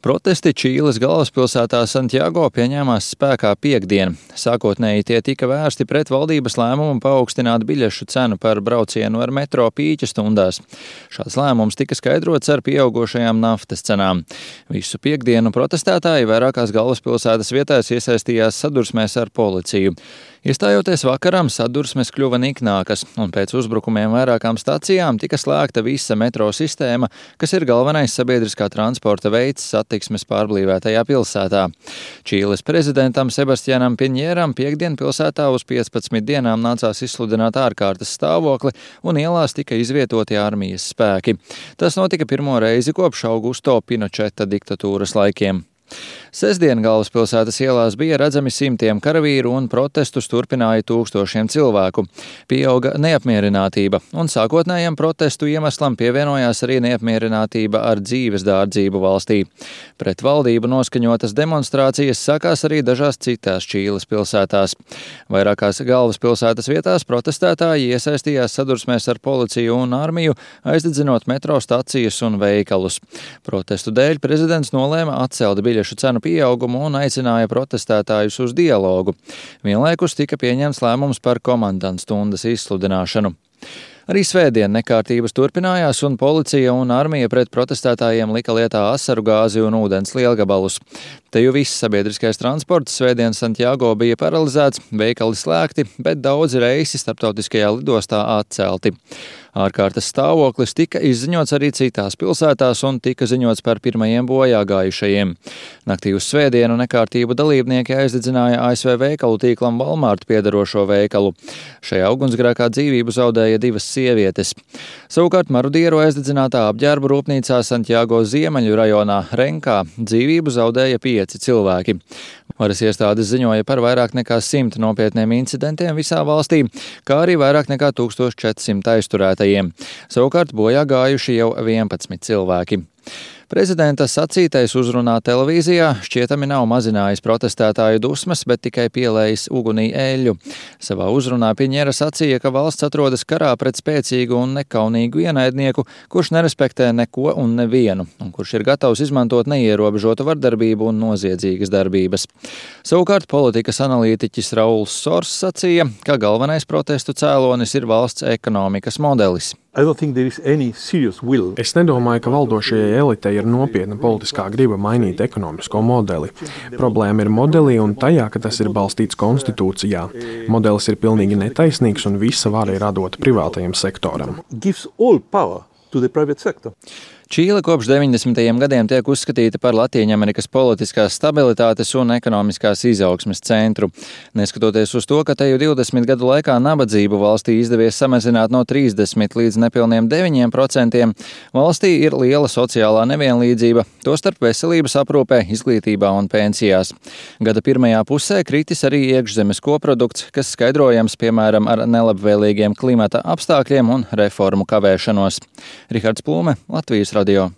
Protesti Čīles galvaspilsētā Santjago pieņēmās spēkā piektdien. Sākotnēji tie tika vērsti pret valdības lēmumu paaugstināt biļešu cenu par braucienu ar metro pīķa stundās. Šāds lēmums tika skaidrots ar pieaugošajām naftas cenām. Visu piektdienu protestētāji vairākās galvaspilsētas vietās iesaistījās sadursmēs ar policiju. Iestājoties vakaram, sadursmes kļuva niknākas, un pēc uzbrukumiem vairākām stacijām tika slēgta visa metro sistēma, kas ir galvenais sabiedriskā transporta veids satiksmes pārblīvētajā pilsētā. Čīles prezidentam Sebastianam Piņēram piektdien pilsētā uz 15 dienām nācās izsludināt ārkārtas stāvokli, un ielās tika izvietoti armijas spēki. Tas notika pirmo reizi kopš Augusto Pinočeta diktatūras laikiem. Sestdien galvaspilsētas ielās bija redzami simtiem karavīru un protestus turpināja tūkstošiem cilvēku. Pieauga neapmierinātība, un sākotnējam protestu iemeslam pievienojās arī neapmierinātība ar dzīves dārdzību valstī. Pret valdību noskaņotas demonstrācijas sākās arī dažās citās Čīles pilsētās. Vairākās galvaspilsētas vietās protestētāji iesaistījās sadursmēs ar policiju un armiju, aizdedzinot metro stacijas un veikalus. Protestu dēļ prezidents nolēma atcelt biļešu cenu pieaugumu un aicināja protestētājus uz dialogu. Vienlaikus tika pieņemts lēmums par komandantstundas izsludināšanu. Arī svētdien nekārtības turpinājās, un policija un armija pret protestētājiem lika lietā asaru gāzi un ūdens lielgabalus. Te jau viss sabiedriskais transports svētdien Santjago bija paralizēts, veikali slēgti, bet daudzi reisi starptautiskajā lidostā atcelti. Ārkārtas stāvoklis tika izziņots arī citās pilsētās un tika ziņots par pirmajiem bojā gājušajiem. Naktī uz svētdienu nekārtību dalībnieki aizdedzināja ASV veikalu tīklam Walmart piedarošo veikalu. Šajā ugunsgrēkā dzīvību zaudēja 2 sievietes. Savukārt marudieru aizdedzinātā apģērbu rūpnīcā Santjago ziemeļu rajonā Renkā dzīvību zaudēja 5 cilvēki. Varas iestādes ziņoja par vairāk nekā 100 nopietniem incidentiem visā valstī, kā arī vairāk nekā 1400 aizturētajiem. Savukārt bojā gājuši jau 11 cilvēki. Prezidenta sacītais uzrunā televīzijā šķietami nav mazinājis protestētāju dusmas, bet tikai pielējis ugunī eļļu. Savā uzrunā Piņera sacīja, ka valsts atrodas karā pret spēcīgu un nekaunīgu ienaidnieku, kurš nerespektē neko un nevienu, un kurš ir gatavs izmantot neierobežotu vardarbību un noziedzīgas darbības. Savukārt politikas analītiķis Rauls Sors sacīja, ka galvenais protestu cēlonis ir valsts ekonomikas modelis. Es nedomāju, ka valdošajai elitei ir nopietna politiskā griba mainīt ekonomisko modeli. Problēma ir modelī un tajā, ka tas ir balstīts konstitūcijā. Modelis ir pilnīgi netaisnīgs un visa vara ir atdota privātajam sektoram. Čīle kopš 90. gadiem tiek uzskatīta par Latīņamerikas politiskās stabilitātes un ekonomiskās izaugsmes centru. Neskatoties uz to, ka te jau 20 gadu laikā nabadzību valstī izdevies samazināt no 30 līdz nepilniem 9%, valstī ir liela sociālā nevienlīdzība, tostarp veselības aprūpē, izglītībā un pensijās. Gada pirmajā pusē kritis arī iekšzemes koprodukts, kas skaidrojams, piemēram, ar nelabvēlīgiem klimata apstākļiem un reformu kavēšanos. Rihards Plūme, Latvijas radio.